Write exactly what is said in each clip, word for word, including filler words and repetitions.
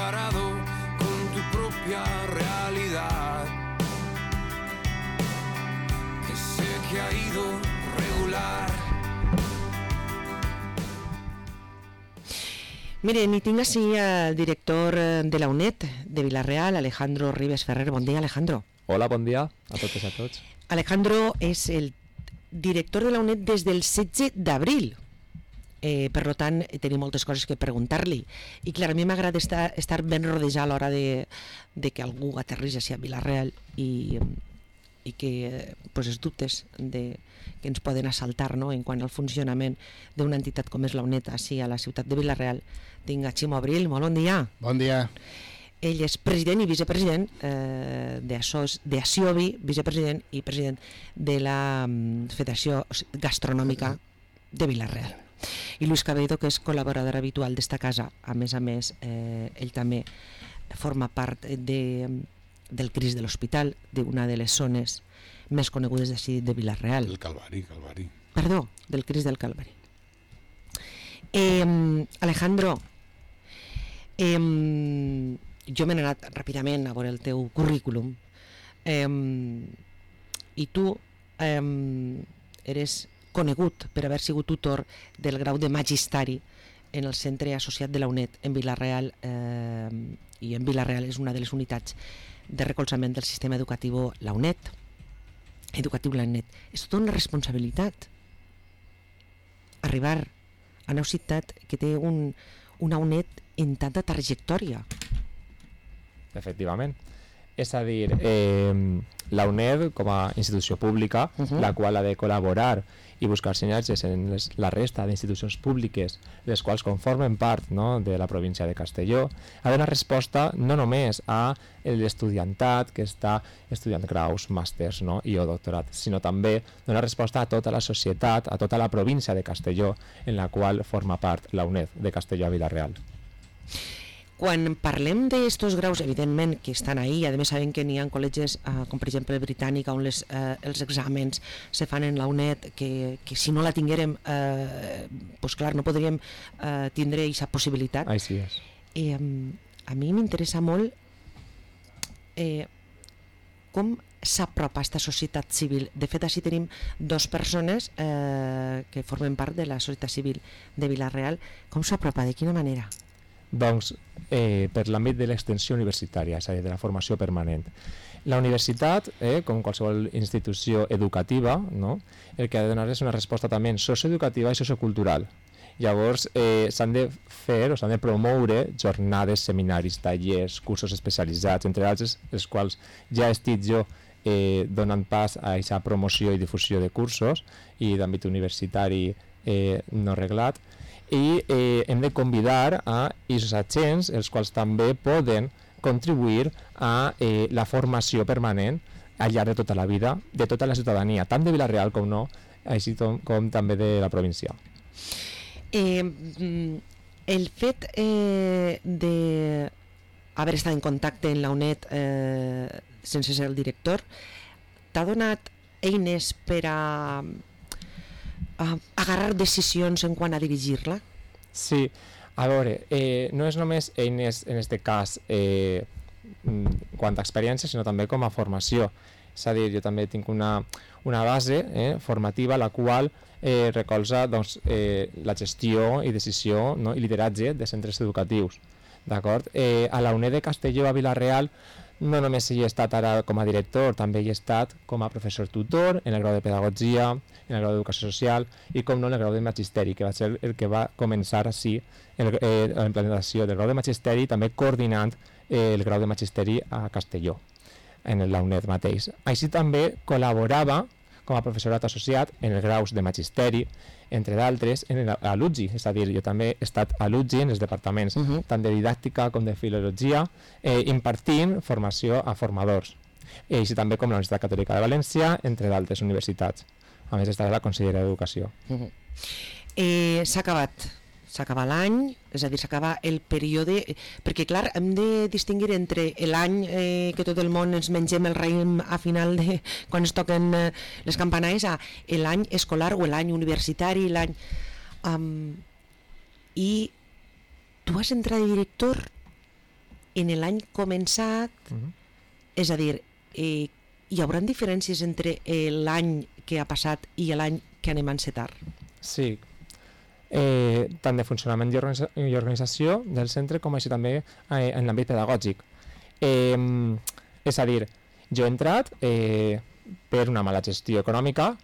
comparado con tu propia realidad, que sé que ha ido regular. Miren, i tinc així el director de la U N E D de Vila-real, Alejandro Ribes Ferrer. Bon dia, Alejandro. Hola, bon dia a totes i a tots. Alejandro és el director de la U N E D des del setze d'abril. Eh, per tant, tenim moltes coses que preguntar-li. I clar, a mi m'agrada estar, estar ben rodejat a l'hora de, de que algú aterrís a Vila-real i, i que pues, els dubtes de, que ens poden assaltar, no?, en quant al funcionament d'una entitat com és la U N E D així a la ciutat de Vila-real. Tinc a Ximo Abril. Molt bon dia. Bon dia. Ell és president i vicepresident eh, d'Aciovi, vicepresident i president de la um, Federació Gastronòmica de Vila-real. I Luis Cabello, que és col·laborador habitual d'esta casa. A més a més, eh, ell també forma part de, del Crist de l'Hospital, d'una de les zones més conegudes d'ací de Vila-real. El Calvari, Calvari. Perdó, del Crist del Calvari. Eh, Alejandro, eh, jo m'he anat ràpidament a veure el teu currículum eh, i tu eh, eres conegut per haver sigut tutor del grau de magisteri en el centre associat de la U N E D en Vila-real eh, i en Vila-real és una de les unitats de recolzament del sistema educatiu la U N E D, educatiu la U N E D. És tota una responsabilitat arribar a una ciutat que té un, una U N E D en tanta trajectòria. Efectivament. És a dir, eh, la U N E D com a institució pública, uh-huh. la qual ha de col·laborar i buscar sinergies en les, la resta d'institucions públiques, les quals conformen part, no?, de la província de Castelló, ha de donar resposta no només a l'estudiantat que està estudiant graus, màsters, no?, i o doctorat, sinó també donar resposta a tota la societat, a tota la província de Castelló, en la qual forma part la U N E D de Castelló a Vila-real. Quan parlem d'estos graus, evidentment que estan ahí, a més sabem que n'hi ha col·legis, eh, com per exemple el Britànic, on les, eh, els exàmens se fan en la U N E D, que, que si no la tinguérem, eh, pues clar, no podríem eh, tindre aquesta possibilitat. Així és. Eh, a mi m'interessa molt eh, com s'apropa aquesta societat civil. De fet, així tenim dues persones eh, que formen part de la societat civil de Vila-real. Com s'apropa? De quina manera? Doncs eh, per l'àmbit de l'extensió universitària, és a dir, de la formació permanent. La universitat, eh, com qualsevol institució educativa, no?, el que ha de donar és una resposta també socioeducativa i sociocultural. Llavors eh, s'han de fer o s'han de promoure jornades, seminaris, tallers, cursos especialitzats, entre altres, els quals ja estic jo eh, donant pas a aquesta promoció i difusió de cursos i d'àmbit universitari eh, no reglat. I eh, hem de convidar a aquests agents, els quals també poden contribuir a eh, la formació permanent al llarg de tota la vida, de tota la ciutadania, tant de Vila-real com no, així com, com també de la província. Eh, el fet eh, d'haver estat en contacte en la U N E D eh, sense ser el director, t'ha donat eines per a Uh, agarrar decisions en quant a dirigir-la? Sí, a veure, eh, no és només eines en aquest cas eh, quant a experiència, sinó també com a formació. És a dir, jo també tinc una, una base eh, formativa la qual eh, recolza doncs, eh, la gestió i decisió, no?, i lideratge de centres educatius. D'acord? Eh, a la U N E D de Castelló a Vila-real no només hi he estat ara com a director, també hi he estat com a professor tutor en el grau de pedagogia, en el grau d'educació social i com no en el grau de magisteri, que va ser el que va començar així el, eh, la implementació del grau de magisteri, també coordinant eh, el grau de magisteri a Castelló, en la U N E D mateix. Així també col·laborava com a professorat associat en els graus de magisteri, entre d'altres, en a l'U G I, és a dir, jo també he estat a l'U G I en els departaments uh-huh. tant de didàctica com de filologia, eh, impartint formació a formadors. I així també com la Universitat Catòlica de València, entre d'altres universitats. A més, estarà la Conselleria d'Educació. Uh-huh. eh, s'ha acabat s'ha acabat l'any, és a dir, s'acaba el període, perquè clar, hem de distingir entre l'any eh, que tot el món ens mengem el raïm a final de quan es toquen eh, les campanades, a l'any escolar o l'any universitari, l'any... Um, I tu vas entrar de director en l'any començat, Mhm. és a dir, eh, hi haurà diferències entre eh, l'any que ha passat i l'any que anem a encetar? Sí, eh, tant de funcionament i, organitza i organització del centre com així també eh, en l'àmbit pedagògic. Eh, és a dir, jo he entrat eh, per una mala gestió econòmica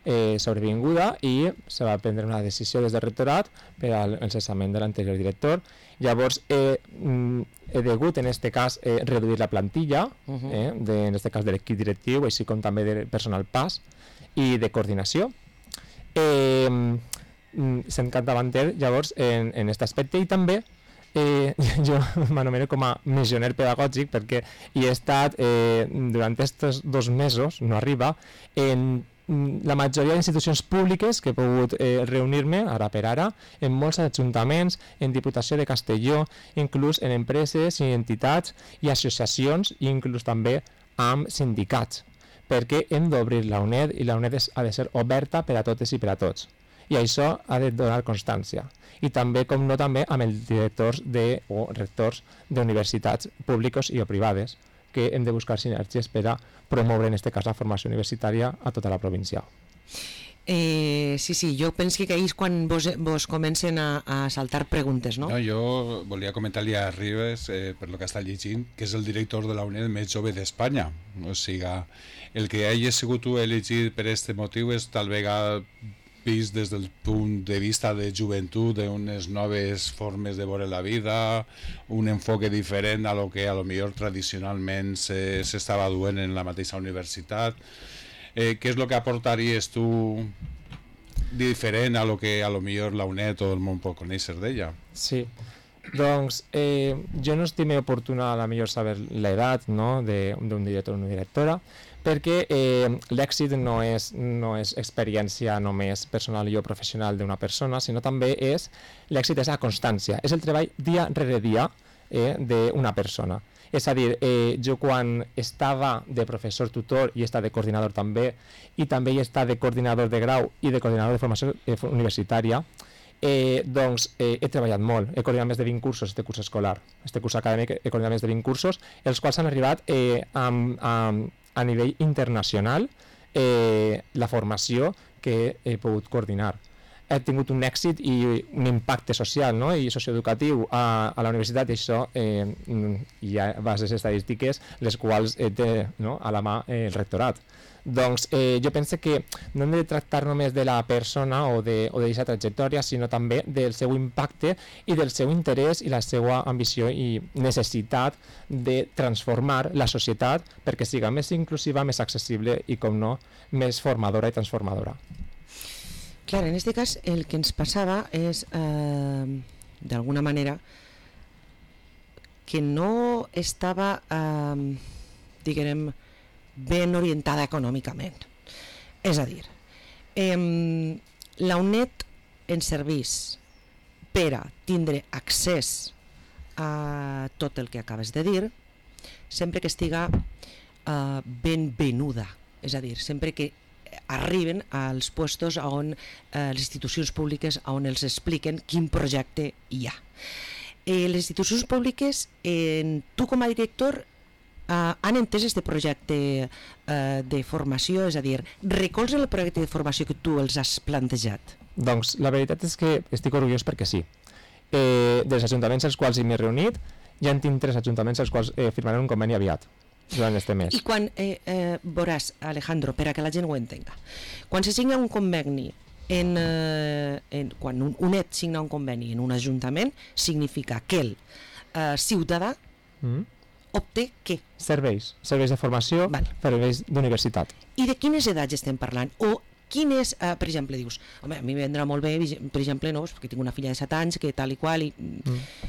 eh, sobrevinguda i se va prendre una decisió des del rectorat per al el cessament de l'anterior director. Llavors eh, he degut en aquest cas eh, reduir la plantilla, Uh -huh. eh, de, en aquest cas de l'equip directiu, així com també de personal P A S i de coordinació. Eh, sent capdavanter llavors en aquest aspecte i també eh, jo m'anomeno com a missioner pedagògic perquè hi he estat eh, durant aquests dos mesos, no arriba, en la majoria d'institucions públiques que he pogut eh, reunir-me ara per ara, en molts ajuntaments, en Diputació de Castelló, inclús en empreses i entitats i associacions i inclús també amb sindicats, perquè hem d'obrir la UNED i la UNED ha de ser oberta per a totes i per a tots. I això ha de donar constància. I també, com no, també amb els directors de, o rectors d'universitats públiques i o privades, que hem de buscar sinergies per a promoure, en aquest cas, la formació universitària a tota la província. Eh, sí, sí, jo penso que ahir és quan vos, vos comencen a, a saltar preguntes, no? No, jo volia comentar-li a Ribes, eh, per lo que està llegint, que és el director de la UNED més jove d'Espanya. O sigui, el que hagi sigut tu elegit per aquest motiu és tal vegada vist des del punt de vista de joventut, d'unes noves formes de veure la vida, un enfoque diferent a lo que a lo millor tradicionalment s'estava duent en la mateixa universitat. Eh, què és el que aportaries tu diferent a lo que a lo millor la UNED o el món pot conèixer d'ella? Sí, doncs eh, jo no estime oportuna a la millor saber l'edat, no?, d'un director o una directora, perquè eh, l'èxit no és, no és experiència només personal i o professional d'una persona, sinó també és l'èxit és la constància, és el treball dia rere dia eh, d'una persona. És a dir, eh, jo quan estava de professor tutor i estava de coordinador també, i també hi està de coordinador de grau i de coordinador de formació eh, universitària, eh, doncs eh, he treballat molt, he coordinat més de vint cursos este curs escolar, este curs acadèmic he coordinat més de vint cursos, els quals han arribat eh, amb, amb a nivell internacional eh, la formació que he pogut coordinar. He tingut un èxit i un impacte social, no?, i socioeducatiu a, a la universitat, i això eh, hi ha bases estadístiques les quals eh, té, no?, a la mà eh, el rectorat. Doncs eh, jo penso que no hem de tractar només de la persona o d'aquesta trajectòria, sinó també del seu impacte i del seu interès i la seva ambició i necessitat de transformar la societat perquè siga més inclusiva, més accessible i, com no, més formadora i transformadora. Clar, en aquest cas el que ens passava és, eh, d'alguna manera, que no estava, eh, diguem, ben orientada econòmicament. És a dir, eh, la UNED ens serveix per a tindre accés a tot el que acabes de dir, sempre que estiga eh, ben venuda, és a dir, sempre que arriben als puestos on eh, les institucions públiques on els expliquen quin projecte hi ha. Eh, les institucions públiques, eh, tu com a director, Uh, han entès aquest projecte uh, de formació, és a dir, recolzen el projecte de formació que tu els has plantejat? Doncs la veritat és que estic orgullós perquè sí. Eh, dels ajuntaments als quals m'he reunit, ja en tinc tres ajuntaments als quals eh, firmaran un conveni aviat durant este mes. I quan eh, eh, veuràs, Alejandro, per a que la gent ho entenga, quan se signa un conveni, en, eh, en, quan un UNED signa un conveni en un ajuntament, significa que el eh, ciutadà mm. obté què? Serveis, serveis de formació, Val. serveis d'universitat. I de quines edats estem parlant? O quin és, uh, per exemple, dius, home, a mi em vendrà molt bé, per exemple, no, perquè tinc una filla de set anys, que tal i qual, i... Mm.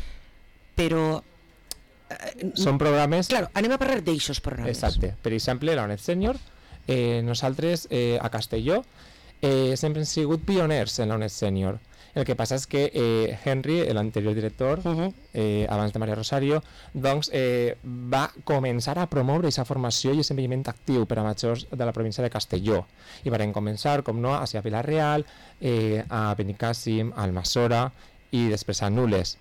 però... Uh, Són programes... Claro, anem a parlar d'eixos programes. Exacte. Per exemple, la UNED Senior, eh, nosaltres eh, a Castelló eh, sempre hem sigut pioners en la UNED Senior. El que passa és que eh, Henry, l'anterior director, uh-huh. eh, abans de Maria Rosario, doncs, eh, va començar a promoure aquesta formació i aquest envelliment actiu per a majors de la província de Castelló. I van començar, com no, a Vila-real, eh, a Benicàssim, a Almassora i després a Nules.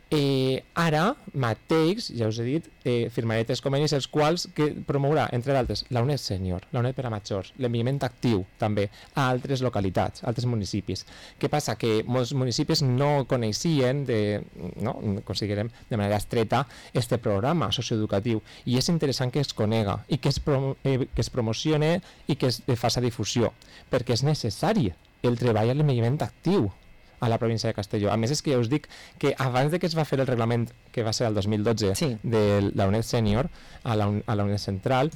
Eh, ara mateix, ja us he dit, eh, firmaré tres convenis els quals que promourà, entre d'altres, la UNED Sènior, la UNED per a majors, l'enviament actiu també a altres localitats, a altres municipis. Què passa? Que molts municipis no coneixien, de, no, considerem de manera estreta, este programa socioeducatiu, i és interessant que es conega i que es, promo eh, que es promocione i que es faça difusió, perquè és necessari el treball a l'envelliment actiu a la província de Castelló. A més, és que ja us dic que abans de que es va fer el reglament, que va ser el dos mil dotze, sí, de la UNED Sènior a la, a la UNED Central,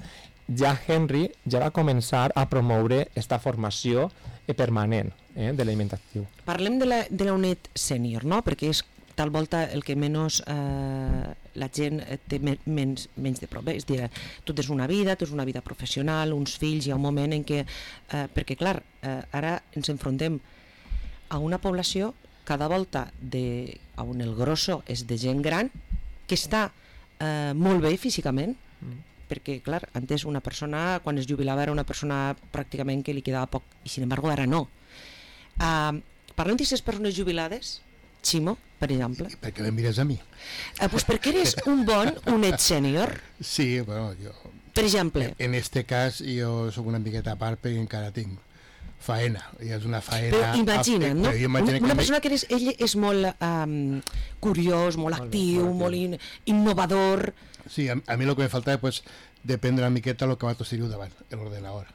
ja Henry ja va començar a promoure esta formació eh, permanent eh, de l'aliment actiu. Parlem de la, de la UNED Sènior, no? Perquè és tal volta el que menys eh, la gent té men menys, menys de prop. És dir, tu tens una vida, tens una vida professional, uns fills, hi ha un moment en què... Eh, perquè, clar, eh, ara ens enfrontem a una població cada volta de, on el grosso és de gent gran que està eh, molt bé físicament, mm. perquè clar, antes una persona quan es jubilava era una persona pràcticament que li quedava poc, i sin embargo ara no. Uh, parlem d'aquestes persones jubilades, Ximo, per exemple. Per què me mires a mi? Uh, pues perquè eres un bon UNED Sènior. Sí, bueno, jo... Per exemple. En este cas jo soc una miqueta a part perquè encara tinc faena, i és una faena... Però imagina't, no? Una, una que persona que eres, ell és molt um, curiós, molt actiu, molt in, innovador... Sí, a, a mi el que me falta és pues, dependre una miqueta del que va tenir davant, l'ordenador.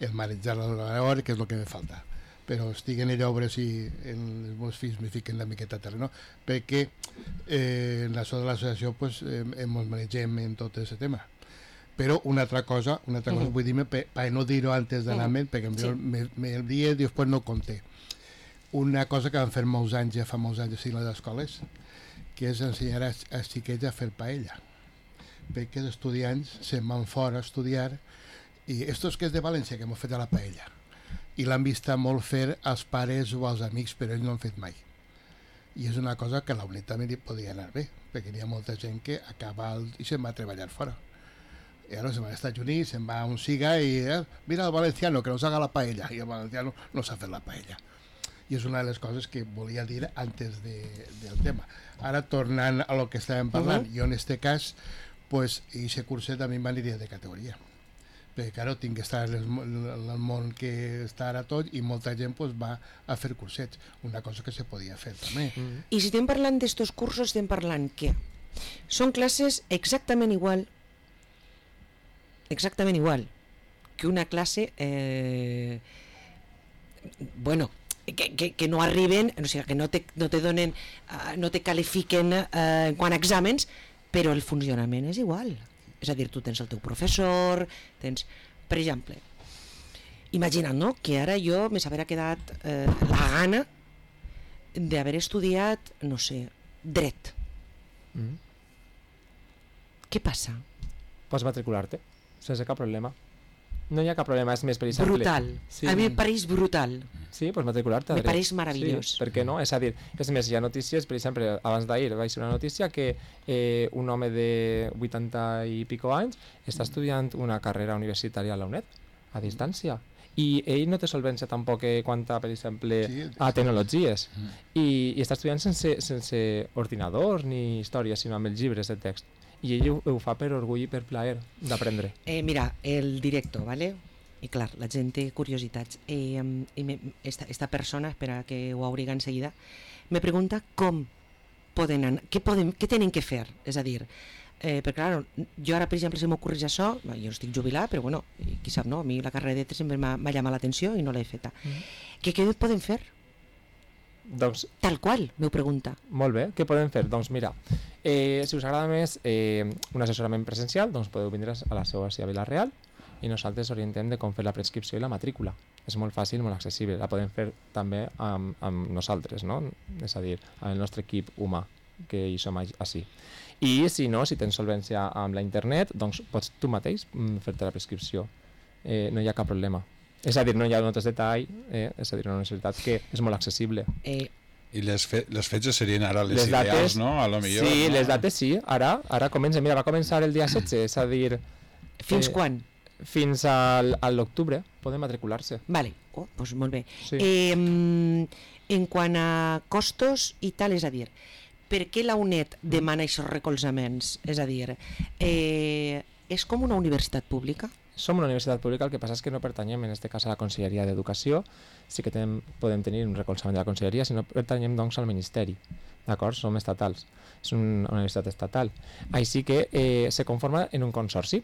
El manejar l'ordenador, que és el que me falta. Però estic en allò a veure si en els meus fills me fiquen la miqueta a terreno, perquè eh, en la so de l'associació pues, eh, ens manegem en tot aquest tema. Però una altra cosa, una altra cosa, uh -huh. vull dir-me, per pa no dir-ho antes d'anar-me'n, uh -huh. perquè sí. me, me el dia i després no conté. Una cosa que van fer molts anys, ja fa molts anys a les escoles, que és ensenyar als, als xiquets a fer paella. Perquè els estudiants se'n van fora a estudiar, i estos que és de València, que m'ho fet a la paella, i l'han vist molt fer als pares o als amics, però ells no han fet mai. I és una cosa que la UNED també li podia anar bé, perquè hi ha molta gent que acaba el, i se'n va a treballar fora. I ara se'n va als Estats Units, se'n va a un siga i eh, mira el valenciano que nos haga la paella, i el valenciano no s'ha fet la paella. I és una de les coses que volia dir antes de, del tema. Ara, tornant a lo que estàvem parlant, uh -huh. jo en este cas, pues, aquest curset a mi m'aniria de categoria. Perquè, claro, tinc que estar en el món que està ara tot i molta gent pues, va a fer cursets, una cosa que se podia fer també. Uh -huh. I si estem parlant d'estos cursos, estem parlant que són classes exactament igual exactament igual que una classe eh, bueno que, que, que no arriben, o sigui, que no te, no te donen uh, no te califiquen uh, en quant a exàmens, però el funcionament és igual, és a dir, tu tens el teu professor, tens, per exemple, imagina't, no?, que ara jo me s'haguera quedat eh, la gana d'haver estudiat, no sé, dret. Mm. Què passa? Pots matricular-te sense cap problema. No hi ha cap problema, és més per exemple... Brutal. Sí. A mi em pareix brutal. Sí, pots matricular-te a me dret. pareix meravellós. Sí, per què no? És a dir, és més, hi ha notícies, per exemple, abans d'ahir vaig ser una notícia que eh, un home de vuitanta i pico anys està estudiant una carrera universitària a la UNED, a distància. I ell no té solvència tampoc eh, quant a, per exemple, sí, a tecnologies. Mm. I, I està estudiant sense, sense ordinadors ni històries, sinó amb els llibres de text. I ell ho, ho fa per orgull i per plaer d'aprendre. Eh, mira, el director, ¿vale? I clar, la gent té curiositats. Eh, i me, esta, esta persona, espera que ho abriga enseguida, me pregunta com poden anar, què, poden, què tenen que fer. És a dir, eh, perquè clar, jo ara, per exemple, si m'ocorreix això, jo estic jubilat, però bueno, qui sap, no? A mi la carrera de dret sempre m'ha llamat l'atenció i no l'he feta. Mm. Què, què poden fer? Doncs, tal qual, m'ho pregunta. Molt bé, què podem fer? Doncs mira, eh, si us agrada més eh, un assessorament presencial, doncs podeu vindre a la seva a Vila-real i nosaltres orientem de com fer la prescripció i la matrícula. És molt fàcil, molt accessible, la podem fer també amb, amb nosaltres, no? És a dir, amb el nostre equip humà, que hi som així. I si no, si tens solvència amb la internet, doncs pots tu mateix fer-te la prescripció. Eh, no hi ha cap problema. És a dir, no hi ha notes de tall, eh? És a dir, una universitat que és molt accessible. Eh, I les, fe les fetges serien ara les, les ideals, dates, no? A lo millor, sí, no? les dates sí, ara, ara comença. Mira, va començar el dia setze, és a dir... Fins eh, quan? Fins al, a l'octubre poden matricular-se. Vale, oh, doncs molt bé. Sí. Eh, en quant a costos i tal, és a dir, per què la UNED demana aquests recolzaments? És a dir, eh, és com una universitat pública? Som una universitat pública, el que passa és que no pertanyem en aquest cas a la Conselleria d'Educació, sí que tenem, podem tenir un recolzament de la Conselleria, si no pertanyem doncs al Ministeri, d'acord? Som estatals, és una universitat estatal. Així que eh, se conforma en un consorci,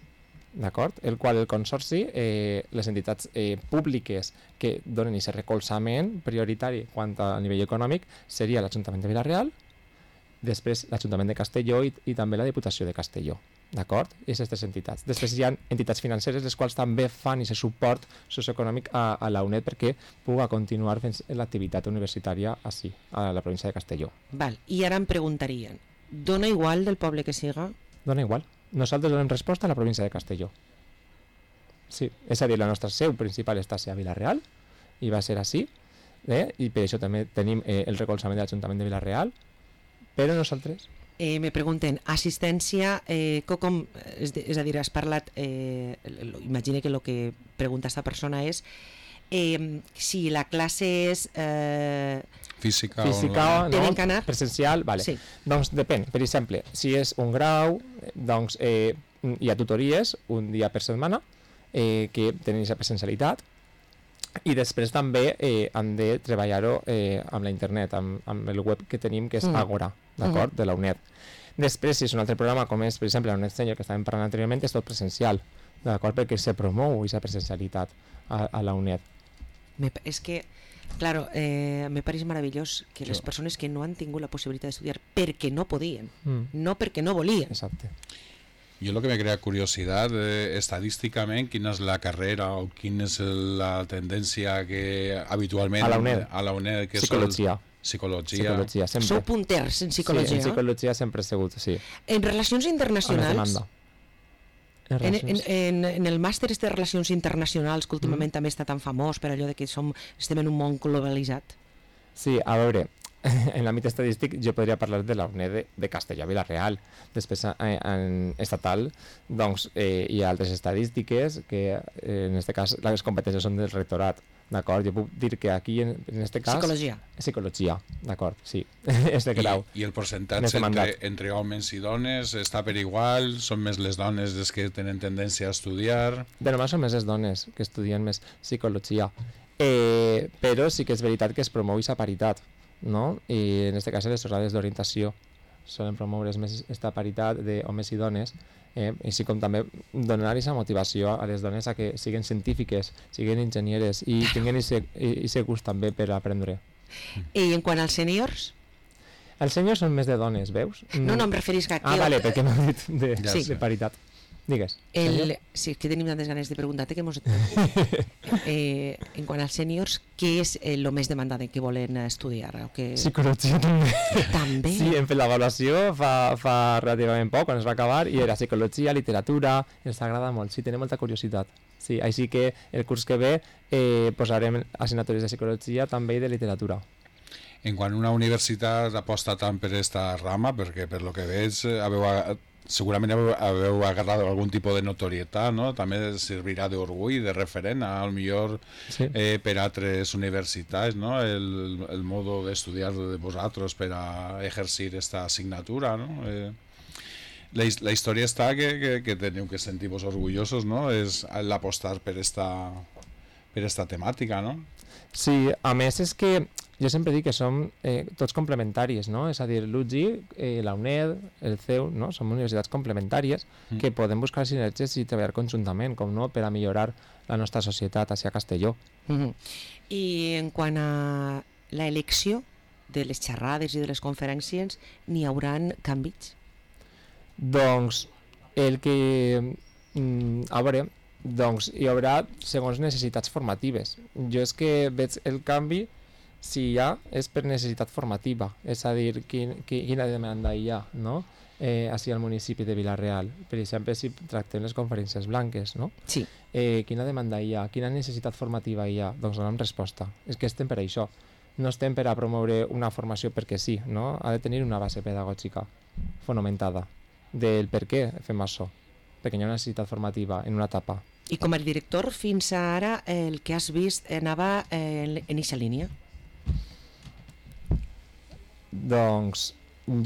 d'acord? El qual el consorci, eh, les entitats eh, públiques que donen aquest recolzament prioritari quant a nivell econòmic seria l'Ajuntament de Vila-real, després l'Ajuntament de Castelló i, i també la Diputació de Castelló. D'acord? I aquestes entitats. Després hi ha entitats financeres les quals també fan aquest suport socioeconòmic a, a la UNED perquè pugui continuar fent l'activitat universitària així, a la província de Castelló. Val. I ara em preguntarien, dona igual del poble que siga? Dona igual. Nosaltres donem resposta a la província de Castelló. Sí, és a dir, la nostra seu principal està a Vila-real i va ser així, eh? I per això també tenim eh, el recolzament de l'Ajuntament de Vila-real, però nosaltres... Eh, me pregunten, assistència, eh, com, és, és a dir, has parlat, eh, imagine que el que pregunta aquesta persona és eh, si la classe és... Eh, Física, Física o... no, Tenen que anar? presencial, vale. Sí. Doncs depèn, per exemple, si és un grau, doncs eh, hi ha tutories un dia per setmana eh, que tenen aquesta presencialitat, i després també eh, han de treballar-ho eh, amb la internet, amb, amb el web que tenim, que és Mm. Agora, d'acord, Mhm. de la UNED. Després, si és un altre programa, com és, per exemple, la UNED Senior, que estàvem parlant anteriorment, és tot presencial, d'acord, perquè se promou aquesta presencialitat a, a la UNED. me, és que, claro, eh, me pareix meravellós que les Sí. persones que no han tingut la possibilitat d'estudiar perquè no podien, Mm. no perquè no volien. Exacte. Yo lo que me crea curiosidad, eh, estadísticamente, ¿quién es la carrera o quién es la tendencia que habitualmente... A la UNED. A la UNED, que Psicologia. Sol, psicologia. Psicologia, sempre. Sou punters en psicologia. Sí, en psicologia sempre he sigut, sí. En relacions A més internacionals, demanda. En en, en, relacions- en, en el màster de relacions internacionals, que últimament Mm. també està tan famós per allò de que som, estem en un món globalitzat. Sí, a veure, en l'àmbit estadístic jo podria parlar de la UNED de, de Castelló Vila-real. Després eh, en estatal doncs eh, hi ha altres estadístiques que eh, en aquest cas les competències són del rectorat, d'acord? Jo puc dir que aquí en, en aquest cas... Psicologia. Psicologia, d'acord, sí, és de grau. I, I el En este percentatge mandat. entre, entre homes i dones està per igual? Són més les dones les que tenen tendència a estudiar? De normal són més les dones que estudien més psicologia, eh, però sí que és veritat que es promou aquesta paritat, no? I en aquest cas les jornades d'orientació solen promoure més aquesta paritat d'homes i dones, eh, així com també donar aquesta motivació a les dones a que siguin científiques, siguin enginyeres i tinguin aquest gust també per aprendre. I en quant als sèniors? Els senyors són més de dones, veus? No, no, em referisc a... Ah, que- vale, perquè m'ha dit de, Ja sí, sé. de paritat. Digues. El, sí, que tenim tantes ganes de preguntar-te que mos... eh, en quant als sèniors, què és el més demandat que volen estudiar? O que... Psicologia també. També? Sí, hem fet l'avaluació fa, fa relativament poc, quan es va acabar, i era psicologia, literatura, ens agrada molt, sí, tenim molta curiositat. Sí, així que el curs que ve eh, posarem assignatures de psicologia també i de literatura. En quan una universitat aposta tant per esta rama, perquè per lo que veig eh, haveu, a- segurament haveu, haveu agarrat algun tipus de notorietat, no? També servirà d'orgull, de referent, al millor Sí. eh, per altres universitats, no? El, el modo d'estudiar de vosaltres per a exercir esta assignatura, no? Eh, la, his- la història està que, que, que teniu que sentir-vos orgullosos, no? És l'apostar per esta, per esta temàtica, no? Sí, a més és que jo sempre dic que som eh, tots complementaris, no? És a dir, l'U G I, eh, la UNED, el C E U, no? Som universitats complementàries Mm. que podem buscar sinergies i treballar conjuntament, com no, per a millorar la nostra societat hacia Castelló. Mhm. I en quant a l'elecció de les xerrades i de les conferències, n'hi hauran canvis? Doncs el que... Mm, a veure, doncs hi haurà segons necessitats formatives. Jo és que veig el canvi, si hi ha, és per necessitat formativa, és a dir, quin, qui- quina demanda hi ha, no? Eh, així al municipi de Vila-real. Per exemple, si tractem les conferències blanques, no? Sí. Eh, quina demanda hi ha, quina necessitat formativa hi ha, doncs donem resposta. És que estem per això. No estem per a promoure una formació perquè sí, no? Ha de tenir una base pedagògica fonamentada del per què fem això, perquè hi ha una necessitat formativa en una etapa. I com a director, fins ara el que has vist anava en eixa línia? Doncs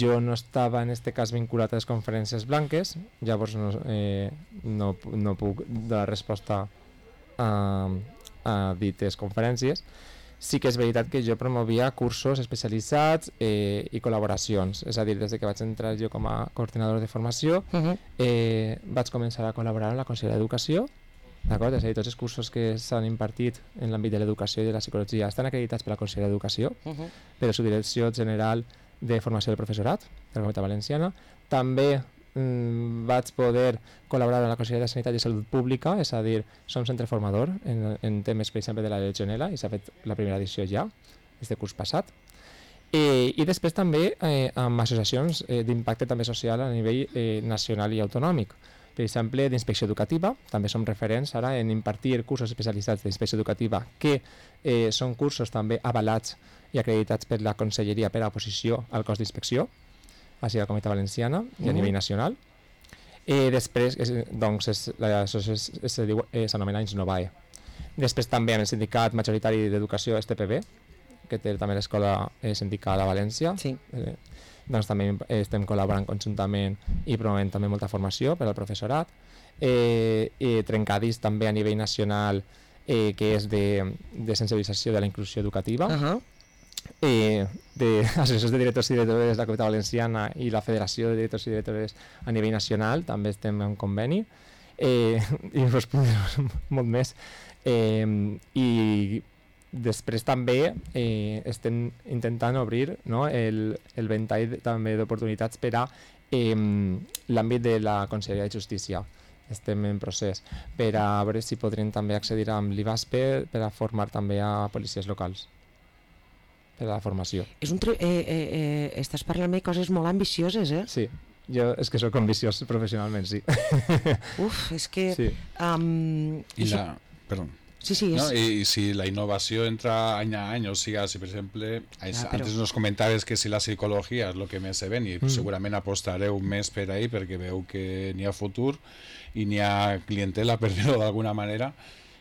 jo no estava en este cas vinculat a les conferències blanques, llavors no, eh, no, no puc donar resposta a, a dites conferències. Sí que és veritat que jo promovia cursos especialitzats eh, i col·laboracions, és a dir, des que vaig entrar jo com a coordinador de formació, Uh -huh. eh, vaig començar a col·laborar amb la Conselleria d'Educació, d'acord? És a dir, tots els cursos que s'han impartit en l'àmbit de l'educació i de la psicologia estan acreditats per la Conselleria d'Educació, Uh -huh. per la Subdirecció General de Formació del Professorat de la Comunitat Valenciana. També mm, vaig poder col·laborar amb la Conselleria de Sanitat i Salut Pública, és a dir, som centre formador en, en temes, per exemple, de la legionel·la, i s'ha fet la primera edició ja, este curs passat. Eh, I després també eh, amb associacions eh, d'impacte també social a nivell eh, nacional i autonòmic. Per exemple, d'inspecció educativa, també som referents ara en impartir cursos especialitzats d'inspecció educativa que eh, són cursos també avalats i acreditats per la Conselleria per a oposició al cos d'inspecció, així a la Comunitat Valenciana i a nivell nacional. Eh, després, és, doncs, és, l'associació s'anomena Insnovae. Després també amb el sindicat majoritari d'educació S T P B, que té també l'escola eh, sindical a València. Sí. Eh, doncs també estem col·laborant conjuntament i promovent també molta formació per al professorat. Eh, eh, Trencadís també a nivell nacional, eh, que és de, de sensibilització de la inclusió educativa. Uh -huh. eh, de associacions de directors i directores de la Comunitat Valenciana i la Federació de Directors i Directores a nivell nacional, també estem en conveni, eh, i us podem molt més. Eh, I després també eh, estem intentant obrir, no, el, el ventall també d'oportunitats per a eh, l'àmbit de la Conselleria de Justícia. Estem en procés per a veure si podrem també accedir amb l'I V A S P per a formar també a policies locals per a la formació. És un tre- eh, eh, eh, estàs parlant-me coses molt ambicioses, eh? Sí, jo és que sóc ambiciós professionalment, sí. Uf, és que... Sí. Um, I la... Perdón. Sí, sí, és... No? I si la innovació entra any a any, o sigui, si per exemple, Ah, però- antes nos comentaves que si la psicologia és el que més se ven, i Mm. segurament apostareu més per ahí perquè veu que n'hi ha futur i n'hi ha clientela, per dir-ho d'alguna manera.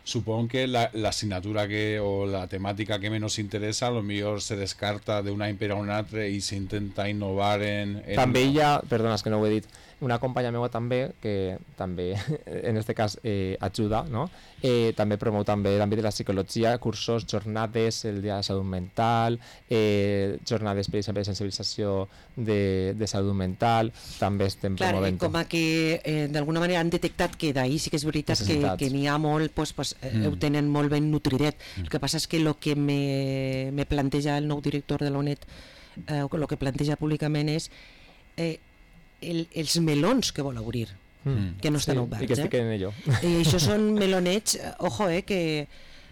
Supongo que la, la asignatura que, o la temàtica que menos interesa a lo millor se descarta d'un any per a un altre i s'intenta innovar en... en... També hi ha, perdona, és que no ho he dit, una companya meva també, que també en este cas eh, ajuda, no? eh, també promou també l'àmbit de la psicologia, cursos, jornades, el dia de la salut mental, eh, jornades, per exemple, de sensibilització de, de salut mental, també estem Clar, eh, promovent. com a que eh, d'alguna manera han detectat que d'ahir sí que és veritat que, Necessitats. que n'hi ha molt, pues, pues, eh, Mm. ho tenen molt ben nutridet. El que passa és que el que me, me planteja el nou director de la UNED, eh, o el que planteja públicament és eh, el, els melons que vol obrir, Mm. que no estan Sí, oberts. i que estic eh? en ello. I això són melonets, eh, ojo, eh, que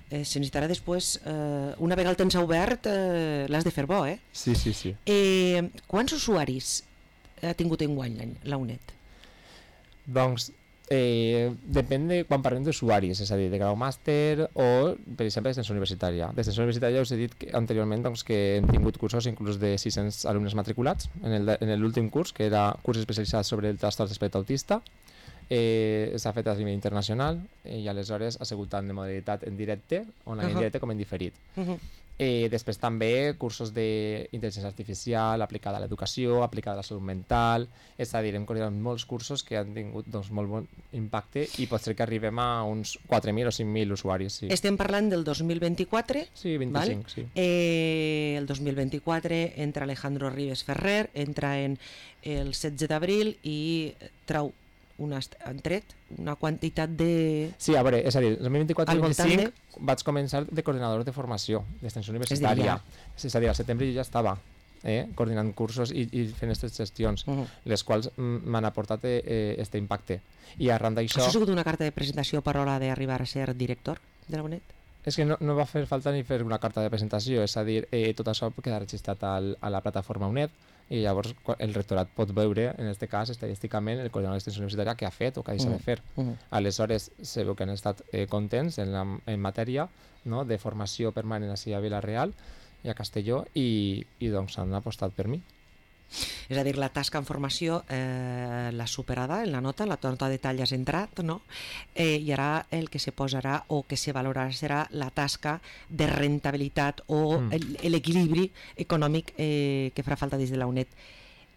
eh, se necessitarà després, eh, una vegada el tens obert, eh, l'has de fer bo, eh? Sí, sí, sí. eh quants usuaris ha tingut enguany l'any- la UNED? Doncs eh, depèn de quan parlem d'usuaris, és a dir, de grau màster o, per exemple, d'extensió universitària. D'extensió universitària us he dit que, anteriorment doncs, que hem tingut cursos inclús de sis-cents alumnes matriculats en el- en l'últim curs, que era curs especialitzat sobre el trastorn d'espectre autista. Eh, s'ha fet a nivell internacional eh, i aleshores ha sigut tant de modalitat en directe, online Ahà. en directe, com en diferit. Uh -huh. Eh, després també cursos d'intel·ligència artificial aplicada a l'educació, aplicada a la salut mental, és a dir, hem coordinat molts cursos que han tingut doncs, molt bon impacte i pot ser que arribem a uns quatre mil o cinc mil usuaris. Sí, Estem parlant del dos mil vint-i-quatre, sí vint-i-cinc, sí. eh, el dos mil vint-i-quatre entra Alejandro Ribes Ferrer, entra en el setze d'abril i trau una, est- han tret una quantitat de... Sí, a veure, és a dir, el dos mil vint-i-quatre Al dos mil voltant vint-i-cinc vaig començar de coordinador de formació, d'extensió dir, universitària. ja. És a dir, al setembre jo ja estava eh, coordinant cursos i, i fent aquestes gestions, Uh -huh. les quals mm, m'han aportat eh, este impacte. I arran d'això... Això ha sigut una carta de presentació per l'hora d'arribar a ser director de la UNED? És que no, no va fer falta ni fer una carta de presentació, és a dir, eh, tot això queda registrat al, a la plataforma UNED i llavors quan el rectorat pot veure, en aquest cas, estadísticament, el coordinador d'extensió universitària que ha fet o que ha deixat Mm. de fer. Uh-huh. Aleshores, se veu que han estat eh, contents en, la, en matèria, no?, de formació permanent així a Vila-real i a Castelló i, i doncs han apostat per mi. És a dir, la tasca en formació eh, l'ha superada en la nota, la nota de tall has entrat, no? Eh, I ara el que se posarà o que se valorarà serà la tasca de rentabilitat o Mm. el- l'equilibri econòmic eh, que farà falta des de la UNED.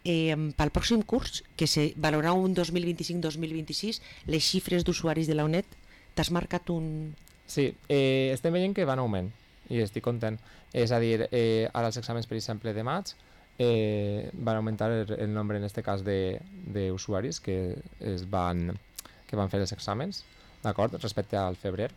eh, pel pròxim curs, que se valorarà un dos mil vint-i-cinc dos mil vint-i-sis, les xifres d'usuaris de la UNED, t'has marcat un... Sí, eh, estem veient que van augment i estic content. És a dir, eh, ara els exàmens, per exemple, de maig, eh, van augmentar el, el nombre, en aquest cas, d'usuaris que, es van, que van fer els exàmens, d'acord, respecte al febrer.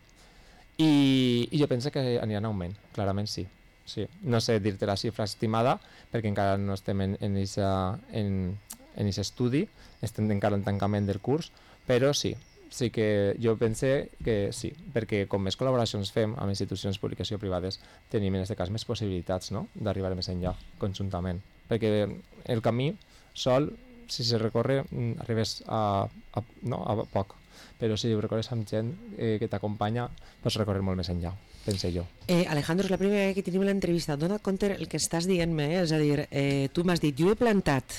I, i jo penso que aniran en augment, clarament sí. sí. No sé dir-te la xifra estimada, perquè encara no estem en, en, ixa, en, en ixa estudi, estem encara en tancament del curs, però sí, sí que jo pense que sí, perquè com més col·laboracions fem amb institucions públiques i privades, tenim en aquest cas més possibilitats, no?, d'arribar més enllà conjuntament, perquè el camí sol, si se recorre, arribes a, a, no, a poc, però si ho recorres amb gent eh, que t'acompanya, pots recórrer molt més enllà, pense jo. Eh, Alejandro, és la primera vegada que tenim l'entrevista. Dona compte el que estàs dient-me, eh? És a dir, eh, tu m'has dit, jo he plantat,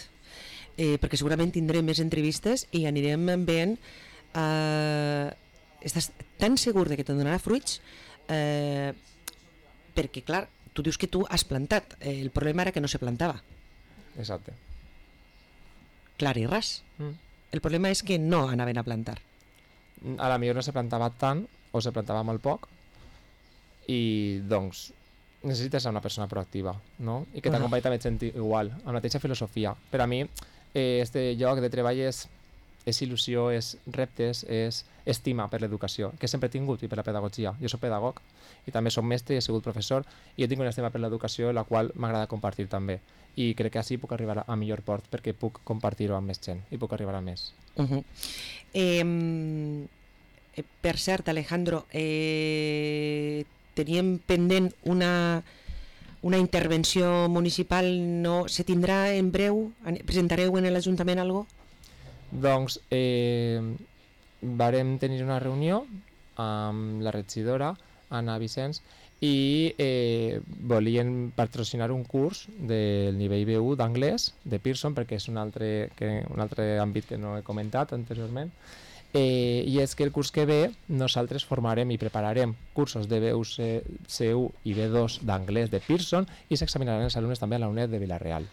eh, perquè segurament tindrem més entrevistes i anirem veient. Uh, estàs tan segur de que te donarà fruits, uh, perquè clar, tu dius que tu has plantat, eh, el problema era que no se plantava. Exacte. Clar i ras. Mm. El problema és que no anaven a plantar. A la millor no se plantava tant o se plantava molt poc i doncs necessites ser una persona proactiva, no? I que t'acompanyi també gent igual, amb la mateixa filosofia. Per a mi, eh, este lloc de treball és és il·lusió, és reptes, és estima per l'educació, que sempre he tingut, i per la pedagogia. Jo soc pedagog i també soc mestre i he sigut professor i jo tinc una estima per l'educació, la qual m'agrada compartir també. I crec que així puc arribar a millor port perquè puc compartir-ho amb més gent i puc arribar a més. Uh -huh. eh, per cert, Alejandro, eh, teníem pendent una, una intervenció municipal, no se tindrà en breu? Presentareu en l'Ajuntament alguna cosa? Doncs eh, varem tenir una reunió amb la regidora Anna Vicens i eh, volien patrocinar un curs del nivell B u d'anglès de Pearson, perquè és un altre, que, un altre àmbit que no he comentat anteriorment, eh, i és que el curs que ve nosaltres formarem i prepararem cursos de B u, C u i B dos d'anglès de Pearson i s'examinaran els alumnes també a la UNED de Vila-real.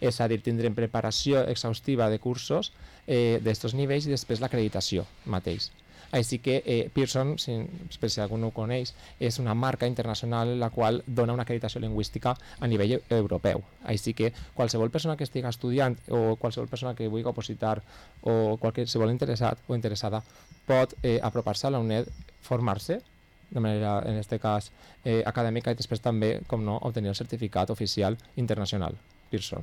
És a dir, tindrem preparació exhaustiva de cursos eh, d'estos nivells i després l'acreditació mateix. Així que eh, Pearson, si, per si algú no ho coneix, és una marca internacional la qual dona una acreditació lingüística a nivell europeu. Així que qualsevol persona que estigui estudiant o qualsevol persona que vulgui opositar o qualsevol interessat o interessada pot eh, apropar-se a la UNED, formar-se de manera, en aquest cas, eh, acadèmica i després també, com no, obtenir el certificat oficial internacional Pearson.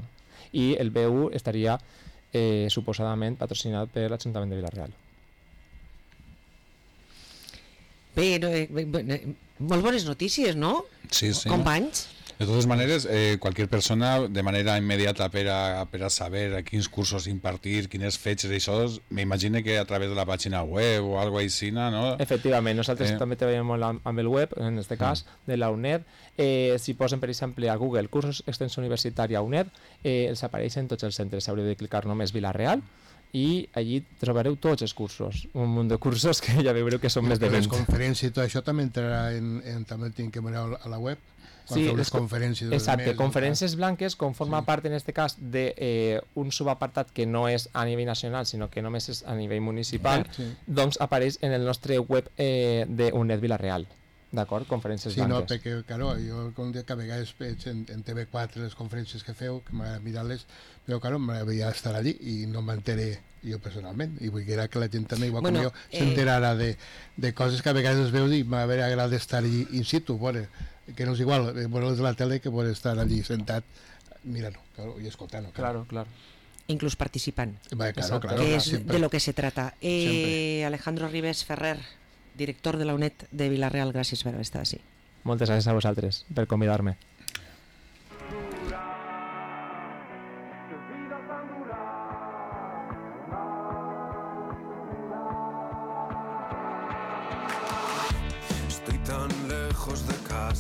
I el B u estaria eh, suposadament patrocinat per l'Ajuntament de Vila-real. Bé, no, eh, eh, molt bones notícies, no? Sí, sí. Companys? De totes maneres, eh, cualquier persona de manera immediata per a, per a saber a quins cursos impartir, quines fetges i això, m'imagino que a través de la pàgina web o alguna cosa així, no? Efectivament, nosaltres Eh. també treballem molt amb, amb el web, en aquest cas, de la UNED. Eh, si posen, per exemple, a Google cursos extensió universitària UNED, eh, els apareixen tots els centres. Haureu de clicar només Vila-real i allí trobareu tots els cursos, un munt de cursos que ja veureu que són més de Les vint. conferències i tot això també entrarà en, en també el tinc que mirar a la web. Quan Sí, feu les les co- conferències. Exacte, conferències blanques, com forma Sí. part en aquest cas d'un eh, un subapartat que no és a nivell nacional, sinó que només és a nivell municipal, Sí. doncs apareix en el nostre web eh, de UNED Vila-real. D'acord? Conferències Sí, no, blanques. perquè, claro, jo com que a vegades veig en, en T V quatre les conferències que feu, que m'agrada mirar-les, però, claro, m'agradaria estar allí i no m'enteré jo personalment, i vull que la gent també, igual Bueno, com jo, eh, s'enterarà de, de coses que a vegades es veus i m'agrada estar allí in situ, bueno, que no és igual eh, veure-les de la tele que poder estar allí sentat mirant-ho, claro, i escoltant-ho. Claro, claro. Inclús participant, Va, claro, Exacto. claro, que es siempre. de lo que se trata. Eh, Siempre. Alejandro Ribes Ferrer, director de la UNED de Vila-real, gràcies per haver estat així. Moltes gràcies a vosaltres per convidar-me.